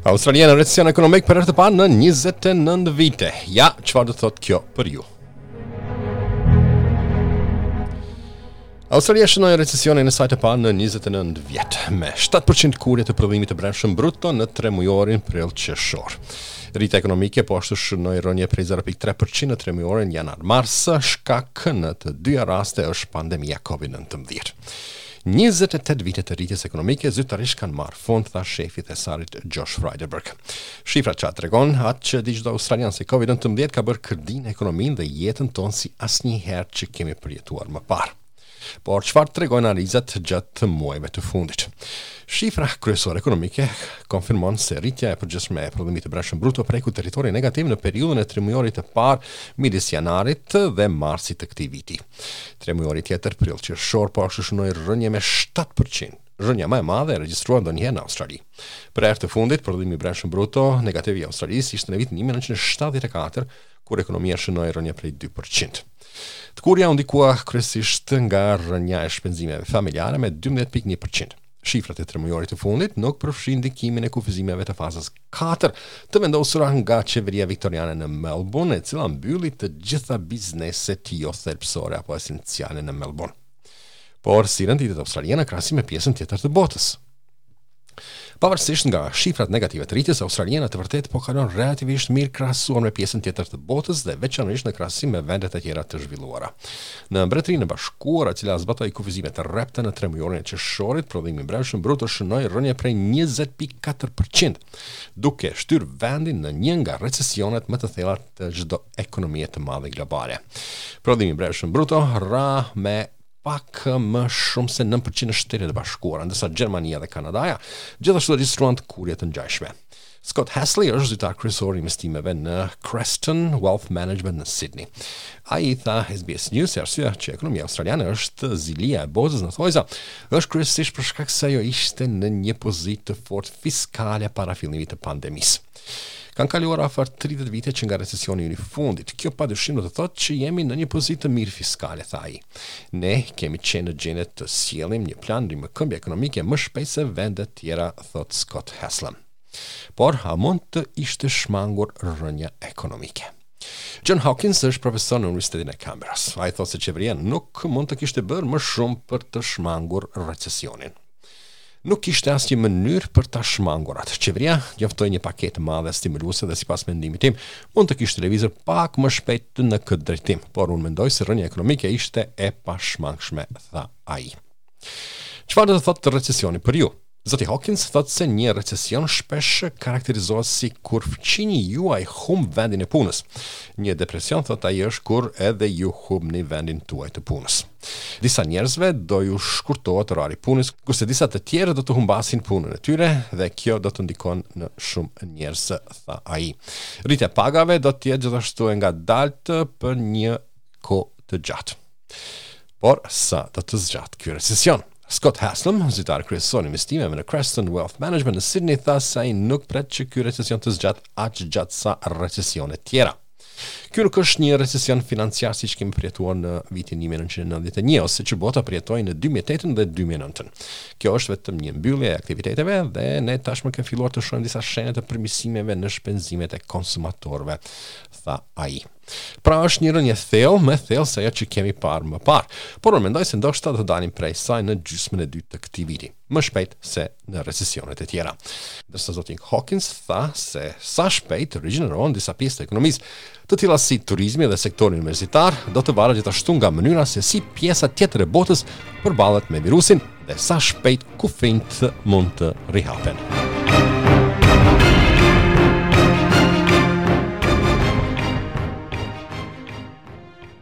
Australia në recesion ekonomik për herë të parë në 29 vite. Ja, çfarë do të thotë kjo për ju? Australia shënoi recesionin e saj të parë në 29 vjet, me 7% tkurrje të prodhimit të brendshëm bruto në tremujorin prill-qershor. Rritja ekonomike po ashtu shënoi rënie prej 0.3% në tremujorin janar-mars, shkak në të dyja raste është pandemia COVID-19. 28 vite të rritjes ekonomike zyrtarisht kanë marrë fund, tha shefi i thesarit Josh Frydenberg. Shifrat që tregon atë që di çdo australian se COVID-19 ka bërë kërdinë ekonominë dhe jetën tonë si asnjëherë që kemi përjetuar më parë. Por çfarë tregojnë analizat gjatë muajve të fundit? Shifra kryesore ekonomike konfirmon se rritja e përgjithshme e prodhimit të brendshëm bruto preku territorin negativ në periudhën e tremujorit të parë midis janarit dhe marsit të këtij viti. Tremujori tjetër, prill-qershor, po ashtu shënoi rënie me 7%, rënia më e madhe e regjistruar ndonjëherë në Australi. Për herë të fundit, prodhimi i brendshëm bruto negativ i Australisë ishte në vitin 1974, kur ekonomia shënoi rënie prej 2%. Tkurrja u ndikua kryesisht nga rënia e shpenzimeve familjare me 12.1%. Shifrat e tremujorit të fundit nuk përfshijnë ndikimin e kufizimeve të fazës 4 të vendosura nga qeveria viktoriane në Melbourne, e cila mbylli të gjitha bizneset jo thelbësore apo esenciale në Melbourne. Por si renditet Australia në krahasim me pjesën tjetër të botës? Pavarësisht nga shifrat negative të rritjes, Australia në të vërtetë po kalon relativisht mirë krahasuar me pjesën tjetër të botës dhe veçanërisht në krahasim me vendet e tjera të zhvilluara. Në Mbretërinë e Bashkuar, e cila zbatoi kufizime të rrepta në tremujorin e qershorit, prodhimi i brendshëm bruto shënoi rënie prej 20.4%, duke shtyrë vendin në një nga recesionet më të thella të çdo ekonomie të madhe globale. Prodhimi i brendshëm bruto ra me pak më shumë se 9% në Shtetet e Bashkuara, ndërsa Gjermania dhe Kanadaja gjithashtu regjistruan tkurrje të ngjashme. Scott Hasley është zyrtar kryesor i investimeve në Creston Wealth Management në Sydney. Ai i tha SBS News se arsyeja që ekonomia australiane është zilia e botës në thonjëza është kryesisht për shkak se ajo ishte në një pozitë të fortë fiskale para fillimit të pandemisë. Kanë kaluar afër 30 vite që nga recesioni ynë i fundit. Kjo padyshim do të thotë që jemi në një pozitë të mirë fiskale, tha ai. Ne kemi qenë në gjendje të sjellim një plan rimëkëmbje ekonomike më shpejt se vendet tjera, thotë Scott Haslam. Por, a mund të ishte shmangur rënia ekonomike? John Hawkins është profesor në Universitetin e Canberras. Ai thotë se qeveria nuk mund të kishte bërë më shumë për të shmangur recesionin. Nuk kishte asnjë mënyrë për ta shmangur atë. Qeveria njoftoi një paketë të madhe stimuluese dhe sipas mendimit tim, mund të kishte lëvizur pak më shpejt në këtë drejtim, por unë mendoj se rënia ekonomike ishte e pashmangshme, tha ai. Çfarë do të thotë recesioni për ju? Zoti Hawkins thotë se një recesion shpesh karakterizohet si kur fqinji juaj humb vendin e punës. Një depresion thotë ai është kur edhe ju humbni vendin tuaj të punës. Disa njerëzve do ju shkurtohet orari i punës, kurse disa të tjerë do të humbasin punën e tyre dhe kjo do të ndikon në shumë njerëz, tha ai. Rritja e pagave do të jetë gjithashtu e ngadaltë për një kohë të gjatë. Por sa do të zgjatë ky recesion? Scott Haslam, zyrtar kryesor i investimeve në Creston Wealth Management në Sydney, tha se ai nuk pret që ky recesion të zgjatë aq gjatë sa recesionet tjera. Ky nuk është një recesion financiar siç kemi përjetuar në vitin 1991 ose që bota përjetoi në 2008 dhe 2009. Kjo është vetëm një mbyllje e aktiviteteve dhe ne tashmë kemi filluar të shohim disa shenja të përmirësimeve në shpenzimet e konsumatorëve, tha ai. Pra është një rënie thellë, më e thellë se ajo që kemi parë më parë. Por unë mendoj se ndoshta do të dalim prej saj në gjysmën e dytë të këtij viti, më shpejt se në recesionet e tjera. Ndërsa zoti Hawkins tha se sa shpejt rigjenerohen disa pjesë të ekonomisë, të tilla si turizmi dhe sektori universitar, do të varet gjithashtu nga mënyra se si pjesa tjetër e botës përballet me virusin dhe sa shpejt kufinjtë mund të rihapen.